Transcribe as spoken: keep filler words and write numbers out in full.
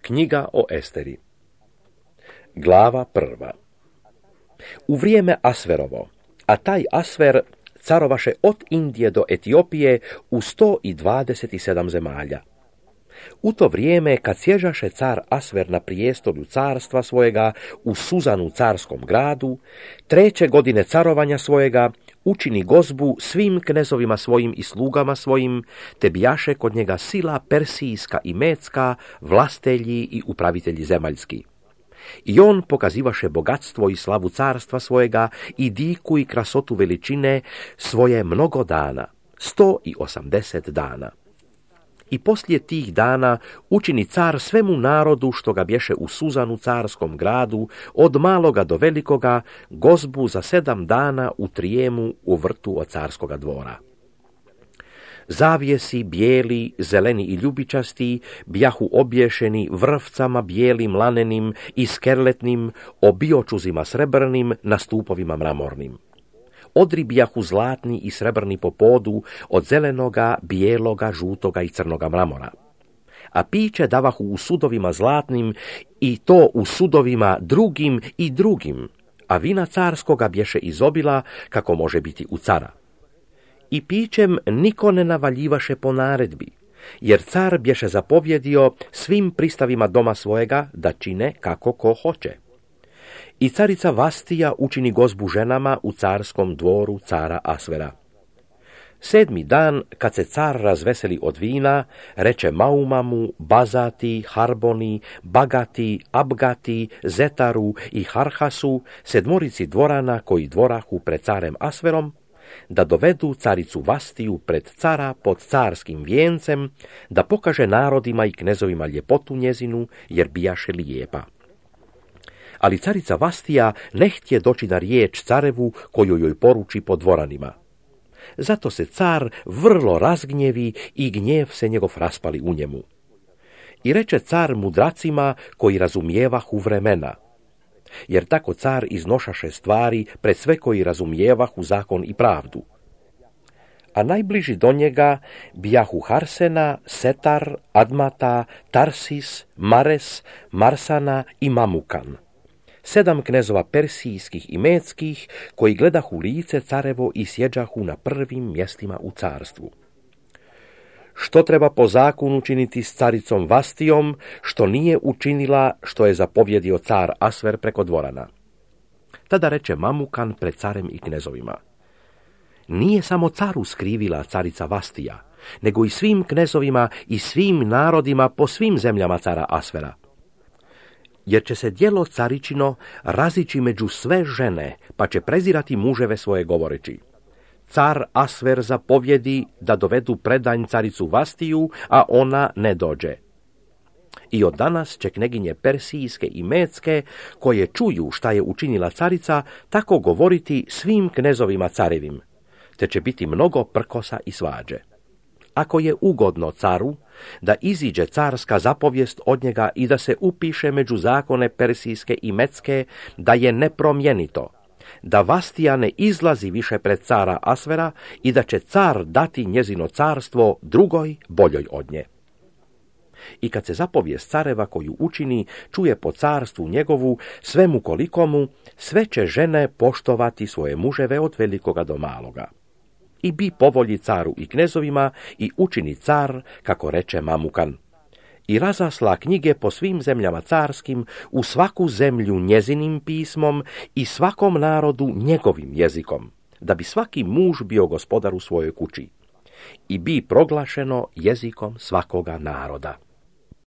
Knjiga o Esteri. Glava prva. U vrijeme Asverovo, a taj Asver carovaše od Indije do Etiopije u sto dvadeset sedam zemalja. U to vrijeme, kad sježaše car Asver na prijestolju carstva svojega u Suzanu carskom gradu, treće godine carovanja svojega, učini gozbu svim knezovima svojim i slugama svojim, te bijaše kod njega sila persijska i mecka, vlastelji i upravitelji zemaljski. I on pokazivaše bogatstvo i slavu carstva svojega i diku i krasotu veličine svoje mnogo dana, sto i osamdeset dana. I poslije tih dana učini car svemu narodu što ga bješe u Suzanu carskom gradu, od maloga do velikoga, gozbu za sedam dana u Trijemu u vrtu od carskoga dvora. Zavjesi bijeli, zeleni i ljubičasti bjahu obješeni vrvcama bijelim, lanenim i skerletnim, obiočuzima srebrnim na stupovima mramornim. Odri bijahu zlatni i srebrni po podu od zelenoga, bijeloga, žutoga i crnoga mramora. A piće davahu u sudovima zlatnim i to u sudovima drugim i drugim, a vina carskoga bješe izobila kako može biti u cara. I pićem niko ne navaljivaše po naredbi, jer car bješe zapovjedio svim pristavima doma svojega da čine kako ko hoće. I carica Vastija učini gozbu ženama u carskom dvoru cara Asvera. Sedmi dan, kad se car razveseli od vina, reče Maumamu, Bazati, Harboni, Bagati, Abgati, Zetaru i Harhasu, sedmorici dvorana koji dvorahu pred carem Asverom, da dovedu caricu Vastiju pred cara pod carskim vijencem, da pokaže narodima i knezovima ljepotu njezinu, jer bijaše lijepa. Ali carica Vastija ne htje doći na riječ carevu koju joj poruči po dvoranima. Zato se car vrlo razgnjevi i gnjev se njegov raspali u njemu. I reče car mudracima koji razumijevahu vremena, jer tako car iznošaše stvari pred sve koji razumijevahu zakon i pravdu. A najbliži do njega bijahu Harsena, Setar, Admata, Tarsis, Mares, Marsana i Mamukan. Sedam knezova persijskih i meckih, koji gledahu lice carevo i sjeđahu na prvim mjestima u carstvu. Što treba po zakonu učiniti s caricom Vastijom, što nije učinila, što je zapovjedio car Asver preko dvorana? Tada reče Mamukan pred carem i knezovima: nije samo caru skrivila carica Vastija, nego i svim knezovima i svim narodima po svim zemljama cara Asvera. Jer će se djelo caričino razići među sve žene, pa će prezirati muževe svoje govoreći: car Asver zapovjedi da dovedu predanj caricu Vastiju, a ona ne dođe. I od danas će kneginje persijske i mecke, koje čuju šta je učinila carica, tako govoriti svim knezovima carevim, te će biti mnogo prkosa i svađe. Ako je ugodno caru da iziđe carska zapovijest od njega i da se upiše među zakone persijske i mecke, da je nepromjenito, da Vastija ne izlazi više pred cara Asvera i da će car dati njezino carstvo drugoj boljoj od nje. I kad se zapovijest careva koju učini čuje po carstvu njegovu, svemu kolikomu, sve će žene poštovati svoje muževe od velikoga do maloga. I bi povolji caru i knezovima i učini car, kako reče Mamukan. I razasla knjige po svim zemljama carskim, u svaku zemlju njezinim pismom i svakom narodu njegovim jezikom, da bi svaki muž bio gospodar u svojoj kući. I bi proglašeno jezikom svakoga naroda.